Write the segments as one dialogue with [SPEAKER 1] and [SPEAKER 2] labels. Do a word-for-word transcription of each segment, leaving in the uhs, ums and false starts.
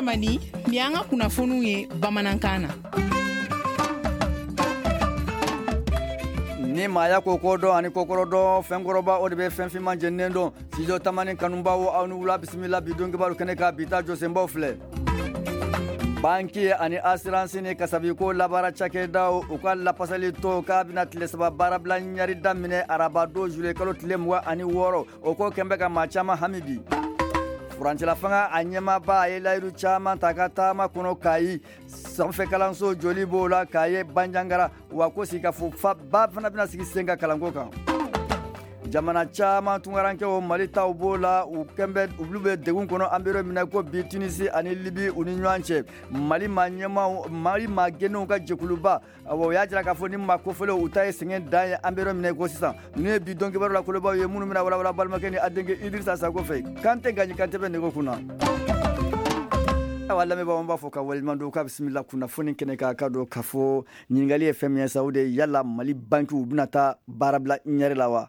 [SPEAKER 1] Tamani, nin y'an ka kunnafoniw ye bamanankan na.
[SPEAKER 2] Ni maaya ko ko dɔn ani kokɔrɔ dɔn, fɛnkɔrɔba o de bɛ fɛn finman jeninen dɔn. Studio Tamani kanubaw, aw ni wula, bisimila bi don kibaru kɛnɛ kan. Bi ta jɔsenbaw filɛ: banki ani assurance ni kasabiko labaara cakɛdaw, u ka lapasali to k'a bɛna tile saba baarabila ɲari daminɛ araba don juillet kalo tile mugan ani wɔɔrɔ. O ko kɛn bɛ ka maa caman hami bi. Furancɛla fanga a ɲɛmaaba, a ye layidu caman ta ka taama kɔnɔ Kayi, sanfɛ kalanso joli b'o la Kaye Banjagara, wa ko sigikafɔ ba fana bɛna sigi sen kan kalanko kan. Jamana caman tunkarankɛw, Mali taw b'o la, u kɛn bɛ, olu bɛ degun kɔnɔ an bɛ yɔrɔ min na ko bi, Tunisi ani Libi, u ni ɲɔgɔn cɛ. Mali maa ɲɛmaw, Mali maa gɛnnenw ka jɛkuluba, awɔ, o y'a jira k'a fɔ ni maa kofɔlenw, u ta ye sɛgɛn dan ye an bɛ yɔrɔ min na ko sisan. Ninnu ye bi don kibaru la kolobaw ye, minnu bɛna walawala balimakɛ ni a denkɛ Idirisa Sako fɛ. Kante Gaji Kante bɛ nɛgɛ kunna. Awa, lamɛnbaaw, an b'a fɔ ka waleɲuman dɔn k'a bisimila kunnafoni kɛnɛ kan. Ka dɔn k'a fɔ ɲininkali ye fɛn min ye sa, o de ye: yala Mali bankiw bɛna taa baarabila ɲɛri la wa?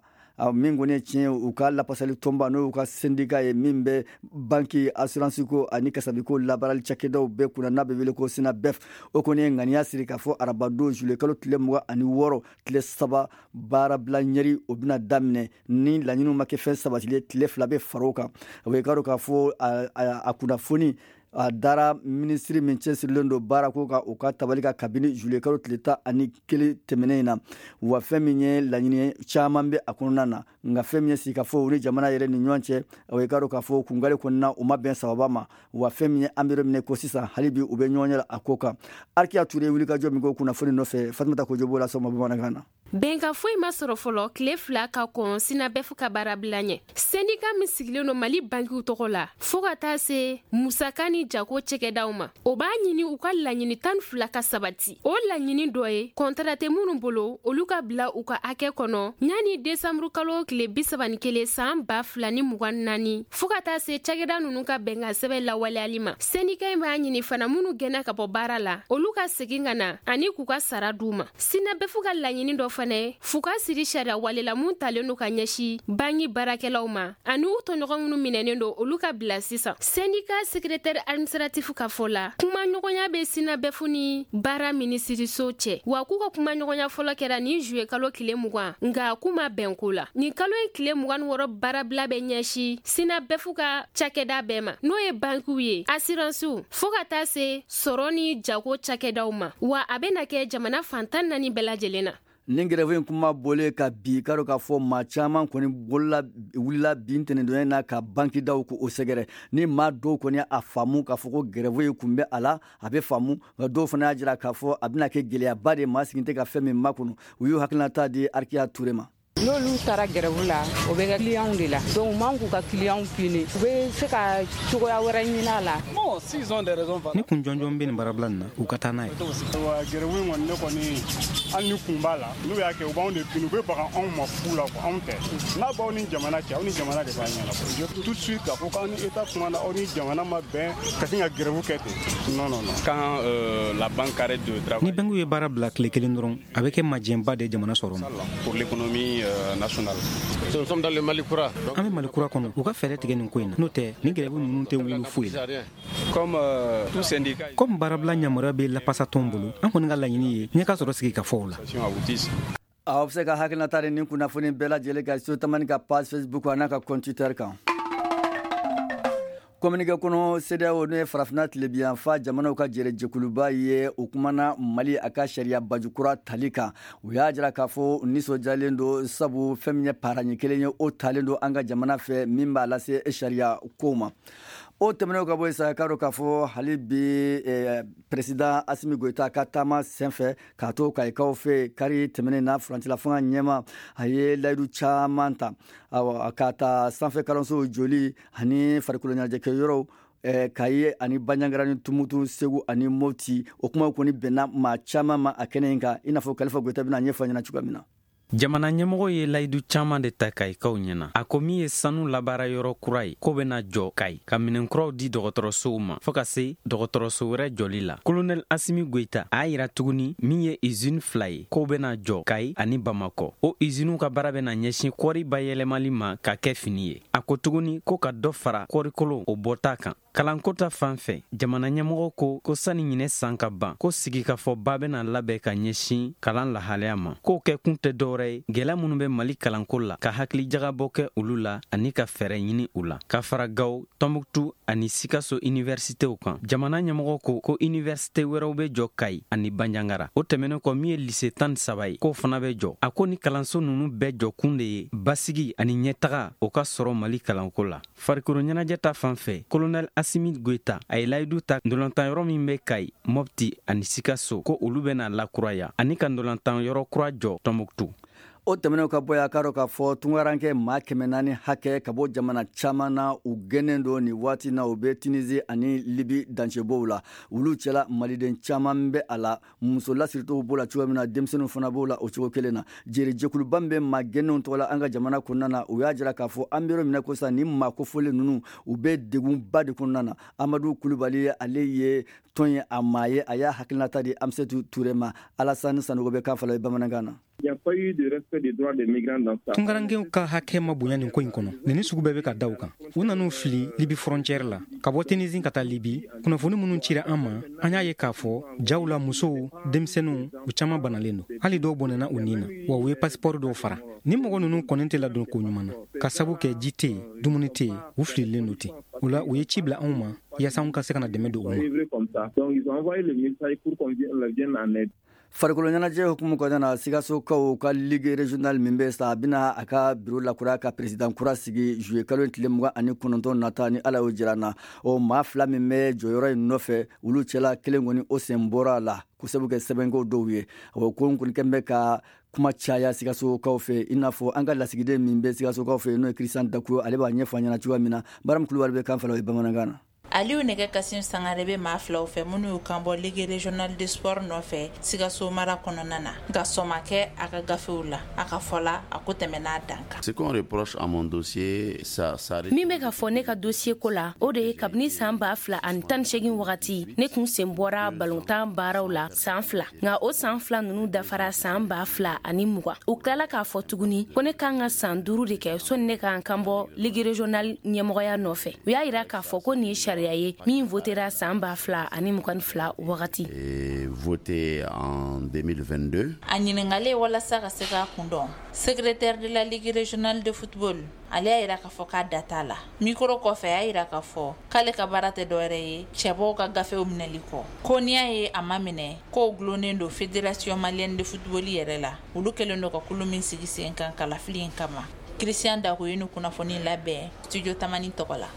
[SPEAKER 2] Min kɔni ye tiɲɛ ye, u ka lapasali tɔnba, n'o y'u ka syndicat ye min bɛ banki, assurance ko ani kasabiko labaarali cakɛdaw bɛɛ kunna, n'a bɛ wele ko SYNABEF, o kɔni ye ŋaniya siri k'a fɔ arabadon juillet kalo tile mugan ani wɔɔrɔ, tile saba baarabila ɲɛri, o bɛna daminɛ. Ni laɲiniw ma kɛ fɛn sabatilen, tile fila bɛ fara o kan. O ye k'a dɔn k'a fɔ a kunnafoni a dara minisiri min cɛsirilen don baarako kan, o ka tabali kan kabini juillet kalo tile tan ani kelen tɛmɛnen in na. Wa fɛn min ye laɲini caman bɛ a kɔnɔna na, nka fɛn min ye sigikafɔ ni jamana yɛrɛ ni ɲɔgɔn cɛ, o ye k'a dɔn k'a fɔ kungale kɔnɔna, u ma bɛn sababa ma. Wa fɛn min ye, an bɛ yɔrɔ min ko sisan, hali bi u bɛ ɲɔgɔn ɲɛ a ko kan. Arikiya Ture wulikajɔ min ko kunnafoni nɔfɛ, Fatumata Kojo b'o la sɔgɔma bamanankan na.
[SPEAKER 3] Bɛnkan foyi ma sɔrɔ fɔlɔ tile fila ka kɔn SYNABEF ka baarabila ɲɛ. Syndicat min sigilen don Mali bankiw tɔgɔ la, fɔɔ ka taa se musaka ni jago cɛkɛdaw ma, o b'a ɲini u ka laɲini tan fila ka sabati. O laɲini dɔ ye kɔntara tɛ minnu bolo, olu ka bila u ka hakɛ kɔnɔ ɲani desanburu kalo tile bisaba ni kelen san ba fila ni mugan naani, fɔɔ ka taa se cakɛda nunu ka bɛnkan sɛbɛn lawaleyali ma. Syndicat in b'a ɲini fana, minnu gɛnna ka bɔ baara la, olu ka segin ka na ani k'u ka sara d'u ma. SYNABEF ka laɲini dɔ fana ye f'u ka siri sariya wale la mun talen don ka ɲɛsin banki baarakɛlaw ma, ani u tɔɲɔgɔn minnu minɛnen don, olu ka bila sisan. Syndicat secrétaire administratif ka fɔ la, kumaɲɔgɔnya bɛ SYNABEF ni baara minisiriso cɛ, wa k'u ka kumaɲɔgɔnya fɔlɔ kɛra nin juillet kalo tile mugan, nka k'u ma bɛn ko la. Nin kalo in tile mugan ni wɔɔrɔ baarabila bɛ ɲɛsin SYNABEF ka cakɛda bɛɛ ma, n'o ye bankiw ye, assurancew, fɔɔ ka taa se sɔrɔ ni jago cakɛdaw ma, wa a bɛna kɛ jamana fan tan naani bɛɛ lajɛlen na.
[SPEAKER 2] Nin grève in kuma bɔlen ka bi, k'a dɔn k'a fɔ maa caman kɔni bolola wulila bi ntɛnɛndonya na ka bankidaw ko o sɛgɛrɛ. Ni maa dɔw kɔni a faamu k'a fɔ ko grève in kun bɛ a la, a bɛ faamu, nka dɔw fana y'a jira k'a fɔ a bɛna kɛ gɛlɛyaba de, maa sigi tɛ ka fɛn min makɔnɔ. U y'u hakilinata di Arikiya Ture ma.
[SPEAKER 4] N'olu taara grève la, o bɛ kɛ clientw de la, donc u man k'u ka clientw pini, u bɛ se ka cogoya wɛrɛ ɲini a la.
[SPEAKER 5] Ni kun jɔnjɔn bɛ nin baarabila nin na, u ka taa n'a ye.
[SPEAKER 6] Wa grève in kɔni, ne kɔni, hali ni kun b'a la, n'u y'a kɛ, u b'anw de pini, u bɛ baga anw ma fu la. Anw tɛ, n'a b'aw ni jamana cɛ, aw ni jamana de b'a ɲɛnabɔ tout de suite. K'a fɔ k'aw ni État kumana, aw ni jamana ma bɛn ka sin ka grève kɛ ten, non, non, non.
[SPEAKER 7] Quand euh, la banque arrête de travailler,
[SPEAKER 5] ni bankiw ye baara bila tile kelen dɔrɔn, a bɛ kɛ majɛnba de jamana sɔrɔ ma.
[SPEAKER 7] Pour l'économie euh, nationale.
[SPEAKER 8] Nous sommes dans le Mali kura.
[SPEAKER 5] An bɛ Mali kura kɔnɔ, u ka fɛɛrɛ tigɛ nin ko in na, n'o tɛ nin grève ninnu tɛ wuli foyi la.
[SPEAKER 7] Comme euh, tout syndicat,
[SPEAKER 5] komi baarabila yamaruya bɛ lapasatɔn bolo, an kɔni ka laɲini ye ɲɛ ka sɔrɔ sigi ka fɔw la.
[SPEAKER 7] Aboutisse.
[SPEAKER 2] Aw bɛ se ka hakilinata di nin kunnafoni bɛɛ lajɛlen kan Studio Tamani ka page Facebook a n'a ka compte Twitter kan. Communiqué kɔnɔ, CEDEAO, n'o ye farafinna tilebiyanfa jamanaw ka jɛrɛjɛkuluba ye, o kumana Mali a ka sariya baju kura tali kan. U y'a jira k'a fɔ nisɔndiyalen don, sabu fɛn min ye paraɲi kelen ye, o talen don an ka jamana fɛ min b'a lase sariya kow ma. O tɛmɛnen ka bɔ yen sa, k'a dɔn k'a fɔ hali bi eh, président Asimi Goyita ka taama senfɛ k'a to Kayikaw fɛ kari tɛmɛnen na, furancɛla fanga ɲɛma, a ye layidu caman ta, awa, k'a ta sanfɛ kalansow joli ani farikolo ɲɛnajɛkɛyɔrɔw eh, Kayi ani Banjagara ni Tumutu, Segu ani Moti. O kumaw kɔni bɛnna maa caman ma a kɛnɛ in kan, i n'a fɔ Kalifa Goyita bɛna ɲɛfɔ ɲɛna cogoya min na.
[SPEAKER 9] Jamana ɲɛmɔgɔ ye layidu caaman de ta Kayikaw ɲɛna. A ko min ye sanu labaara yɔrɔ kura ye, k'o bena jɔ Kayi, ka minɛnkuraw di dɔgɔtɔrɔsow ma, fɔɔ ka se dɔgɔtɔrɔso wɛrɛ jɔli la. Kolonɛl Asimi Goyita a y'a yira tuguni min ye usine fila ye, k'o bena jɔ Kayi ani Bamakɔ. O usiniw ka baara bena ɲɛsin kɔɔri bayɛlɛmali ma ka kɛ fini ye. A ko tuguni ko ka dɔ fara kɔɔrikolo o bɔta kan. Kalanko ta fan fɛ, jamana ɲɛmɔgɔ ko ko sani ɲinɛ san ka ban, ko sigikafɔba bɛna labɛn ka ɲɛsin kalan lahalaya ma. K'o kɛ kun tɛ dɔwɛrɛ ye, gɛlɛya minnu bɛ Mali kalanko la, ka hakilijagabɔ kɛ olu la ani ka fɛɛrɛ ɲini u la. Ka fara Gawo, Tɔnbuktu ani Sikaso universitew kan, jamana ɲɛmɔgɔ ko ko universite wɛrɛw bɛ jɔ Kayi ani Banjangara. O tɛmɛnen kɔ, min ye lise tan ni saba ye, k'o fana bɛ jɔ. A ko ni kalanso ninnu bɛɛ jɔkun de ye basigi ani ɲɛtaga o ka sɔrɔ Mali kalanko la. Farikolo ɲɛnajɛ ta fan fɛ, colonel Asimi Goïta a ye layidu ta ntolatan yɔrɔ min bɛ Kayi, Mopti ani Sikaso, ko olu bɛna lakuraya ani ka ntolatan yɔrɔ kura jɔ Tɔnbuktu.
[SPEAKER 2] O tɛmɛnenw ka bɔ yan, k'a dɔn k'a fɔ tungarankɛ maa kɛmɛ naani hakɛ ka bɔ jamana caman na, u gɛnnen don nin waati na, u bɛ Tunisie ani Libi dancɛbɔw la. Olu cɛla, maliden caman bɛ a la. Muso lasiritow b'o la cogo min na, denmisɛnninw fana b'o la o cogo kelen na. Jeri jɛkuluba min bɛ maa gɛnnenw tɔgɔ la an ka jamana kɔnɔna na, u y'a jira k'a fɔ an bɛ yɔrɔ min na ko sisan, nin maa kofɔlen ninnu, u bɛ degunba de kɔnɔna na. Amadu Kulubali, ale ye tɔn ye a maa ye, a y'a hakilinata di Amisetu Ture ma. Alasani Sanogo bɛ kan fala bamanankan na.
[SPEAKER 5] Tunkarankew ka hakɛ ma bonya nin ko in kɔnɔ. Nin sugu bɛɛ bɛ ka da u kan. U nan'u fili Libi frontière la ka bɔ Tunisie ka taa Libi. Kunnafoni minnu cira an ma, an y'a ye k'a fɔ jaw la, musow, denmisɛnninw, u caman banalen don, hali dɔw bɔnɛna u nin na, wa u ye passeport dɔw fara. Ni mɔgɔ ninnu kɔni tɛ ladon ko ɲuman na, ka sabu kɛ ji tɛ yen, dumuni tɛ yen, u fililen don ten. O la, u ye ci bila anw ma yaasa anw ka se ka na dɛmɛ don u ma.
[SPEAKER 2] Farikolo ɲɛnajɛ hukumu kɔnɔna na, Sikasokaw ka ligue régionale min bɛ sa, a bɛna a ka biro lakura ka président kura sigi juillet kalo tile mugan ani kɔnɔntɔn nata, ni Ala y'o jira na. O maa fila min bɛ jɔyɔrɔ in nɔfɛ, olu cɛla kelen kɔni, o sen bɔra a la ko sabu kɛ sɛbɛnko dɔw ye. O ko kɔni kɛn bɛ ka kuma caya Sikasokaw fɛ, i n'a fɔ an ka lasigiden min bɛ Sikasokaw fɛ, n'o ye Christian Dakuyo, ale b'a ɲɛfɔ an ɲɛna cogoya min na. Baramu Kulubali bɛ kan fala o ye bamanankan na.
[SPEAKER 10] Aliyu Nɛgɛ Kasim Sangare bɛ maa filaw fɛ minnu y'u kan bɔ ligue régionale de sport nɔfɛ Sikaso mara kɔnɔna na, nka sɔn ma kɛ a ka gafew la. A ka fɔ la, a ko tɛmɛna dan kan.
[SPEAKER 11] Ce qu'on reproche à mon dossier, ça, ça.
[SPEAKER 12] Min bɛ ka fɔ ne ka dossier ko la, o de ye kabini san ba fila ani tan ni seegin wagati, ne kun sen bɔra balontan baaraw la san fila, nka o san fila ninnu dafara san ba fila ani mugan. U tilala k'a fɔ tuguni ko ne kan ka san duuru de kɛ sɔnni ne k'an kan bɔ ligue régionale ɲɛmɔgɔya nɔfɛ. U y'a yira k'a fɔ ko nin ye sariya ye min votera san ba fila ani mugan ni fila wagati.
[SPEAKER 11] Voté en deux mille vingt-deux.
[SPEAKER 10] A ɲininkalen walasa ka se k'a kun dɔn, secrétaire de la ligue régionale de football, ale y'a yira k'a fɔ k'a da t'a la. Micro kɔfɛ, a y'a yira k'a fɔ k'ale ka baara tɛ dɔwɛrɛ ye cɛbɔw ka gafew minɛli kɔ, ko n'i y'a ye a ma minɛ, k'o gulonnen don Fédération malienne de football yɛrɛ la, olu kɛlen don ka kulu min sigi sen kan kalafili in kama. Christian Dako ye nin kunnafoni labɛn Studio Tamani tɔgɔ la.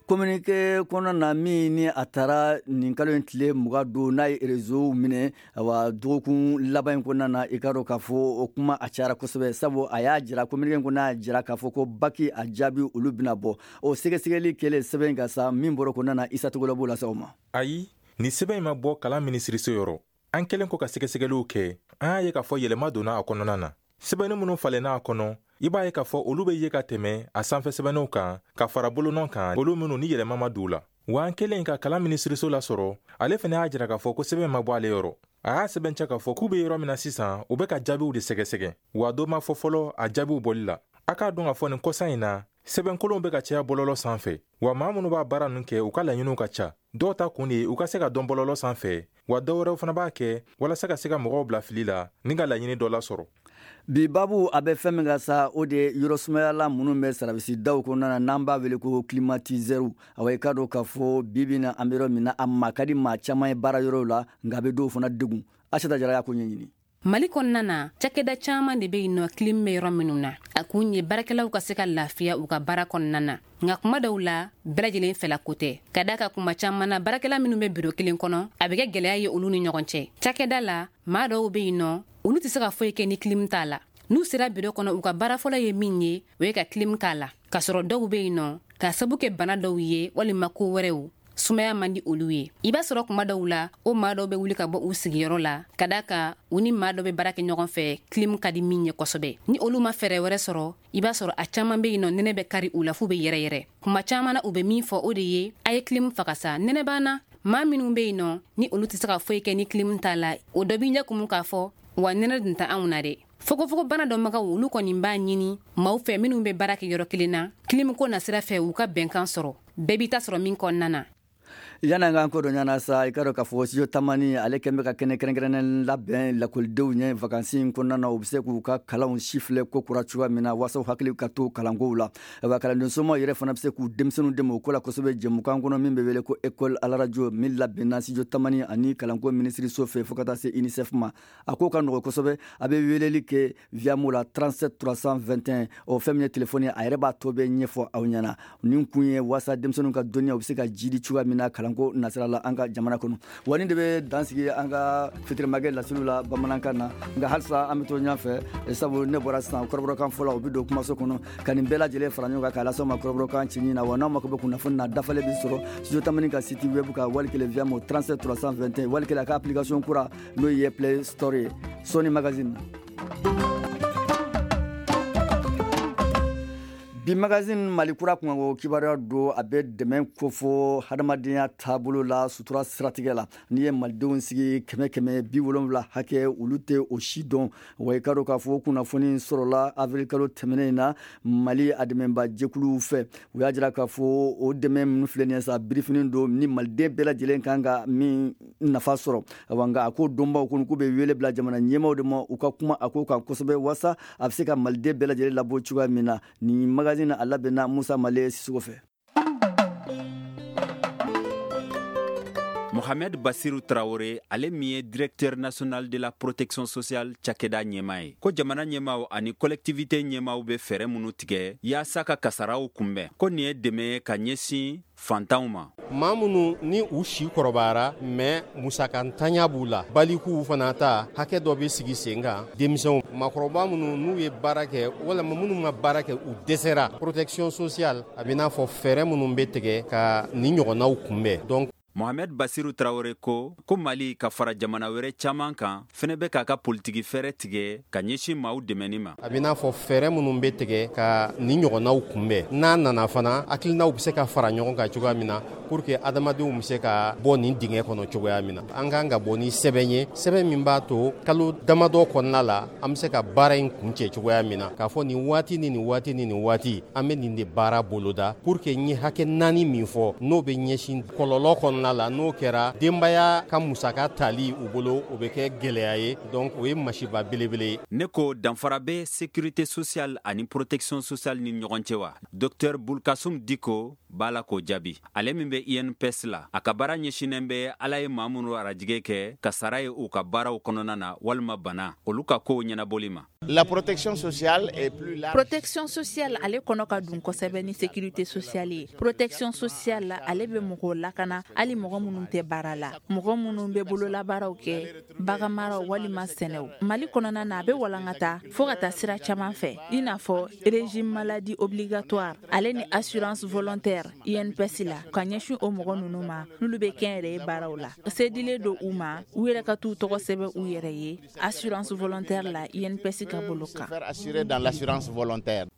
[SPEAKER 2] Communiqué kɔnɔna na min ni a taara nin kalo in tile mugan don, n'a ye réseau minɛ, awa, dɔgɔkun laban in kɔnɔna na, i ka dɔn k'a fɔ o kuma a cayara kosɛbɛ, sabu a y'a jira, communiqué in kɔnɔ y'a jira k'a fɔ ko bac a jaabi olu bɛna bɔ. O sɛgɛsɛgɛli kɛlen, sɛbɛn ka sa min bɔra kɔnɔna na, Isa Togola b'o lase aw ma.
[SPEAKER 13] Ayi, nin sɛbɛn in ma bɔ kalan minisiriso yɔrɔ. An kɛlen kɔ ka sɛgɛsɛgɛliw kɛ, an y'a ye k'a fɔ yɛlɛma donna a kɔnɔna na. Sɛbɛnni minnu falenna a kɔnɔ, i b'a ye k'a fɔ olu bɛ ye ka tɛmɛ a sanfɛ sɛbɛnniw kan ka fara bolonɔ kan, olu minnu ni yɛlɛma ma don u la. Wa an kɛlen ka kalan minisiriso lasɔrɔ, ale fana y'a jira k'a fɔ ko sɛbɛn ma bɔ ale yɔrɔ. A y'a sɛbɛncɛ k'a fɔ k'u bɛ yɔrɔ min na sisan, u bɛ ka jaabiw de sɛgɛsɛgɛ, wa dɔ ma fɔ fɔlɔ a jaabiw bɔli la. A k'a dɔn k'a fɔ nin kɔsa in na, sɛbɛnkolonw bɛ ka caya bɔlɔlɔ sanfɛ, wa maa minnu b'a baara ninnu kɛ, u ka laɲiniw ka ca. Dɔw ta kun de ye u ka se ka dɔn bɔlɔlɔ sanfɛ, wa dɔw wɛrɛw fana b'a kɛ walasa ka se ka mɔgɔw bila fili la ni ka laɲini dɔ lasɔrɔ.
[SPEAKER 2] Bi babu a bɛ fɛn min ka sa, o de ye yɔrɔ sumayala minnu bɛ sarabisidaw kɔnɔna na, n'an b'a wele ko climatiseur. Awa, i ka dɔn k'a fɔ bi bi na, an bɛ yɔrɔ min na, a ma ka di maa caman ye baara yɔrɔw la, nka a bɛ dɔw fana degun. Asata Jara y'a ko ɲɛɲini.
[SPEAKER 14] Mali kɔnɔna na, cakɛda caaman de be yen nɔ clim bɛ yɔrɔ minnu na. A kun ye baarakɛlaw ka se ka lafiya u ka baara kɔnɔna na, nka kuma dɔw la, bɛɛ lajɛlen fɛla ko tɛ, ka da ka kuma caaman na, baarakɛla minnu bɛ biro kelen kɔnɔ, a bɛ kɛ gwɛlɛya ye olu ni ɲɔgɔn cɛ cakɛda la. Maa dɔw be yen nɔ, olu tɛ se ka foyi kɛ ni clim t'a la. N'u sera biro kɔnɔ, u ka baara fɔlɔ ye min ye, o ye ka clim k'a la. K'a sɔrɔ dɔw be yen nɔ, k'a sabu kɛ bana dɔw ye walima ko wɛrɛw, sumaya man di olu ye. I b'a sɔrɔ kuma dɔw la, o maa dɔw bɛ wuli ka bɔ u sigiyɔrɔ la, ka da kan u ni maa dɔ bɛ baara kɛ ɲɔgɔn fɛ, clim ka di min ye kosɛbɛ. Ni olu ma fɛɛrɛ wɛrɛ sɔrɔ, i b'a sɔrɔ a caaman be yen nɔ, nɛnɛ bɛ kari u la f'u bɛ yɛrɛ yɛrɛ. Kuma caaman na, u bɛ min fɔ, o de ye: a ye clim faga sa, nɛnɛ b'an na. Maa minnu be yen nɔ ni olu tɛ se ka foyi kɛ ni clim t'a la, o dɔ b'i ɲɛ kumu k'a fɔ wa nɛnɛ dun tɛ anw na dɛ. Fogofogobana dɔnbagaw olu kɔni b'a ɲini maaw fɛ minnu bɛ baara kɛ yɔrɔ kelen na, kilimuko nasira fɛ u ka bɛnkan sɔrɔ, bɛɛ b'i ta sɔrɔ min kɔnɔna na.
[SPEAKER 2] Yan'an k'an ko dɔ ɲana sa, i ka dɔn k'a fɔ studio Tamani ale kɛn bɛ ka kɛnɛ kɛrɛnkɛrɛnnen labɛn lakɔlidenw ɲɛ vacances in kɔnɔna na, u bɛ se k'u ka kalanw sifilɛ ko kura cogoya min na waasa u hakili ka to kalankow la. Ayiwa, kalanden somaw yɛrɛ fana bɛ se k'u denmisɛnninw dɛmɛ o ko la kosɛbɛ jɛmukan kɔnɔ min bɛ wele ko école à la radio, min labɛnna studio Tamani ani kalanko minisiriso fɛ fo ka taa se UNICEF ma. A ko ka nɔgɔn kosɛbɛ, a bɛ weleli kɛ Viamo la trente-sept trois cent vingt et un. O fɛn min ye telefɔni, a yɛrɛ b'a tɔ bɛɛ ɲɛfɔ aw ɲɛna. Nin kun ye waasa denmisɛnninw ka dɔnniya u bɛ se ka jidi cogoya min na kalanko nasira la an ka jamana kɔnɔ. Wa nin de bɛ dan sigi an ka fitirimakɛ laseliw la bamanankan na, nka halisa an bɛ to ɲɛfɛ, sabu ne bɔra sisan kɔrɔbɔrɔkan fɔlɔ, u bɛ don kumaso kɔnɔ ka nin bɛɛ lajɛlen fara ɲɔgɔn kan k'a lase aw ma kɔrɔbɔrɔkan cɛɲi na. Wa n'aw mako bɛ kunnafoni na, dafalen bɛ sɔrɔ studio Tamani ka site web kan, wali kelen Viamo trente-sept trois cent vingt et un, wali kelen a ka application kura n'o ye Play Store ye, Sony Magazine. Bi magazine Mali kura kunkanko kibaruya don, a bɛ dɛmɛ kofɔ hadamadenya taabolo la sutura siratigɛ la. N'i ye malidenw sigi kɛmɛ kɛmɛ bi wolonwula hakɛ, olu tɛ o si dɔn. Wa i ka dɔn k'a fɔ kunnafoni sɔrɔla avril kalo tɛmɛnen in na Mali a dɛmɛba jɛkuluw fɛ. U y'a jira k'a fɔ o dɛmɛ minnu filɛ nin ye sa, birifini don ni maliden bɛɛ lajɛlen kan ka min nafa sɔrɔ. Awa, nka a ko dɔnbaw kɔni k'u bɛ wele bila jamana ɲɛmaaw de ma, u ka kuma a ko kan kosɛbɛ waasa a bɛ se ka maliden bɛɛ lajɛlen labɔ cogoya min na. Nin magazine a labɛnna Musa Male Sisoko fɛ.
[SPEAKER 9] Mohamed Bassirou Traoré, ale min ye directeur national de la protection sociale cakɛda ɲɛmaa ye, ko jamana ɲɛmaaw ani collectivité ɲɛmaaw bɛ fɛɛrɛ minnu tigɛ yaasa ka kasaraw kunbɛn, ko nin ye dɛmɛ ye ka ɲɛsin fantanw ma.
[SPEAKER 8] Maa minnu ni u si kɔrɔbayara mais musakantanya b'u la, balikuw fana ta hakɛ dɔ bɛ sigi sen kan, denmisɛnw maakɔrɔba minnu n'u ye baara kɛ walima minnu ma baara kɛ u dɛsɛra, protection sociale a bɛ n'a fɔ fɛɛrɛ minnu bɛ tigɛ ka nin ɲɔgɔnnaw kunbɛn. Donc
[SPEAKER 9] Mohamed Bassirou Traoré ko ko Mali ka fara jamana wɛrɛ caman kan fɛnɛ bɛ k'a ka politiki fɛɛrɛ tigɛ ka ɲɛsin maaw dɛmɛni ma.
[SPEAKER 8] A bɛ n'a fɔ fɛɛrɛ minnu bɛ tigɛ ka nin ɲɔgɔnnaw kunbɛn, n'a nana fana hakilinaw bɛ se ka fara ɲɔgɔn kan cogoya min na pour que adamadenw bɛ se ka bɔ nin dingɛ kɔnɔ cogoya min na. An kan ka bɔ ni sɛbɛn ye, sɛbɛn min b'a to kalo damadɔ kɔnɔna la an bɛ se ka baara in kuncɛ cogoya min na, k'a fɔ nin waati ni nin waati ni nin waati an bɛ nin de baara boloda pour que n ye hakɛ naani min fɔ n'o bɛ ɲɛsin kɔlɔlɔ kɔnɔna la, n'o kɛra denbaya ka musaka tali u bolo o bɛ kɛ gɛlɛya ye. Donc o ye masiba belebele ye.
[SPEAKER 9] Ne ko danfara bɛ sécurité sociale ani protection sociale ni ɲɔgɔn cɛ wa? Docteur Boulkassoum Dicko b'a la k'o jaabi. Ale min bɛ I N P S la, a ka baara ɲɛsinnen bɛ Ala ye maa minnu arajigɛ kɛ kasara ye u ka baaraw kɔnɔna na walima bana, olu ka kow ɲɛnabɔli ma.
[SPEAKER 15] La protection sociale est plus large.
[SPEAKER 10] Protection sociale ale kɔnɔ ka dun kosɛbɛ ni sécurité sociale ye. Protection sociale ale bɛ mɔgɔw lakana, hali mɔgɔ minnu tɛ baara la, mɔgɔ minnu bɛ bololabaaraw kɛ, baganmaraw walima sɛnɛw. Mali kɔnɔna na a bɛ walankata fo ka taa sira caman fɛ, i n'a fɔ régime maladie obligatoire ale ni assurance volontaire I N P S la, ka ɲɛsin o mɔgɔ ninnu ma n'olu bɛ kɛnyɛrɛye baaraw la. Sedilen don u ma u yɛrɛ ka t'u tɔgɔ sɛbɛn u yɛrɛ ye assurance volontaire la I N P S ka bolo kan.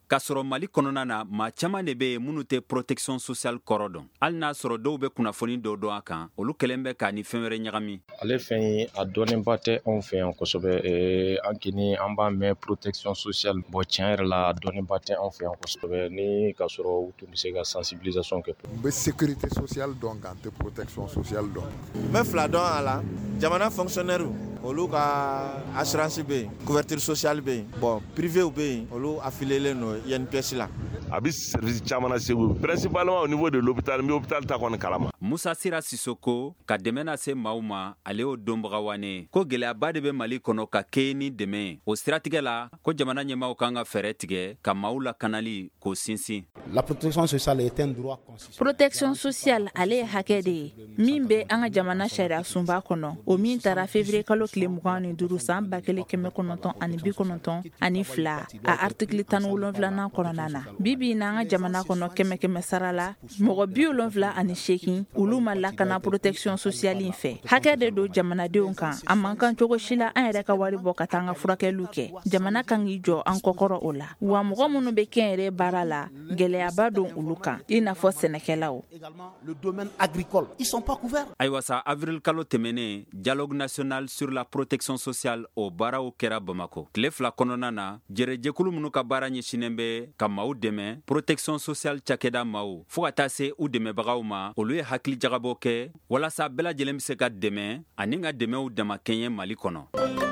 [SPEAKER 9] K'a sɔrɔ Mali kɔnɔna na maa caman de bɛ yen minnu tɛ protection sociale kɔrɔ dɔn, hali n'a sɔrɔ dɔw bɛ kunnafoni dɔw dɔn a kan, olu kɛlen bɛ k'a ni fɛn wɛrɛ ɲagami.
[SPEAKER 16] Ale fɛn ye a dɔnnenba tɛ anw fɛ yan kosɛbɛ. An kɔni an b'a mɛn protection sociale, bon tiɲɛ yɛrɛ la a dɔnnenba tɛ anw fɛ yan kosɛbɛ, ni k'a sɔrɔ u tun bɛ se ka sensibilisation kɛ.
[SPEAKER 17] N bɛ sécurité sociale dɔn nka n tɛ protection sociale dɔn.
[SPEAKER 15] N bɛ fila dɔn a la, jamana fonctionnaire olu ka assurance bɛ yen, couverture sociale bɛ yen, bon privé bɛ yen, olu affilié don I N P S la.
[SPEAKER 18] A bɛ service caman na Segu, principalement au niveau de l'hôpital, n bɛ hôpital ta kɔni kalama.
[SPEAKER 9] Musa Sira Sisoko ka dɛmɛ lase maaw ma, ale y'o dɔnbaga wane ye. Ko gɛlɛyaba de bɛ Mali kɔnɔ ka kɛɲɛ ni dɛmɛ ye. O siratigɛ la, ko jamana ɲɛmaaw kan ka fɛɛrɛ tigɛ ka maaw lakanali k'o sinsin.
[SPEAKER 19] La protection sociale est un droit constitutionnel.
[SPEAKER 10] Protection sociale ale ye hakɛ de ye min bɛ an ka jamana sariya sunba kɔnɔ, o min taara février kalo tile mugan ni duuru san ba kelen kɛmɛ kɔnɔntɔn ani bi kɔnɔntɔn ani fila a article tan ni wolonfilanan kɔnɔna na. Bi bi in na, an ka jamana kɔnɔ, kɛmɛ kɛmɛ sara la, mɔgɔ bi wolonfila ani seegin, olu ma lakana protection sociale in fɛ. Hakɛ de don jamanadenw kan. A man kan cogo si la an yɛrɛ ka wari bɔ ka taa an ka furakɛliw kɛ. Jamana kan k'i jɔ an kɔkɔrɔ o la. Wa mɔgɔ minnu bɛ kɛnyɛrɛ baara la, gɛlɛyaba don olu kan, i n'a fɔ sɛnɛkɛlaw.
[SPEAKER 19] Le domaine agricole, ils sont pas couverts.
[SPEAKER 20] Ayiwa sa, avril kalo tɛmɛnen, dialogue national sur la protection sociale, o baaraw kɛra Bamako tile fila kɔnɔna na. Jɛrɛjɛkulu minnu ka baara ɲɛsinnen bɛ ka maaw dɛmɛ, protection sociale cakɛda maaw fɔɔ ka taa se u dɛmɛbagaw ma, olu ye hakili jagabɔ kɛ walasa bɛɛ lajɛlen be se ka dɛmɛ ani ka dɛmɛw damakɛɲɛ Mali kɔnɔ.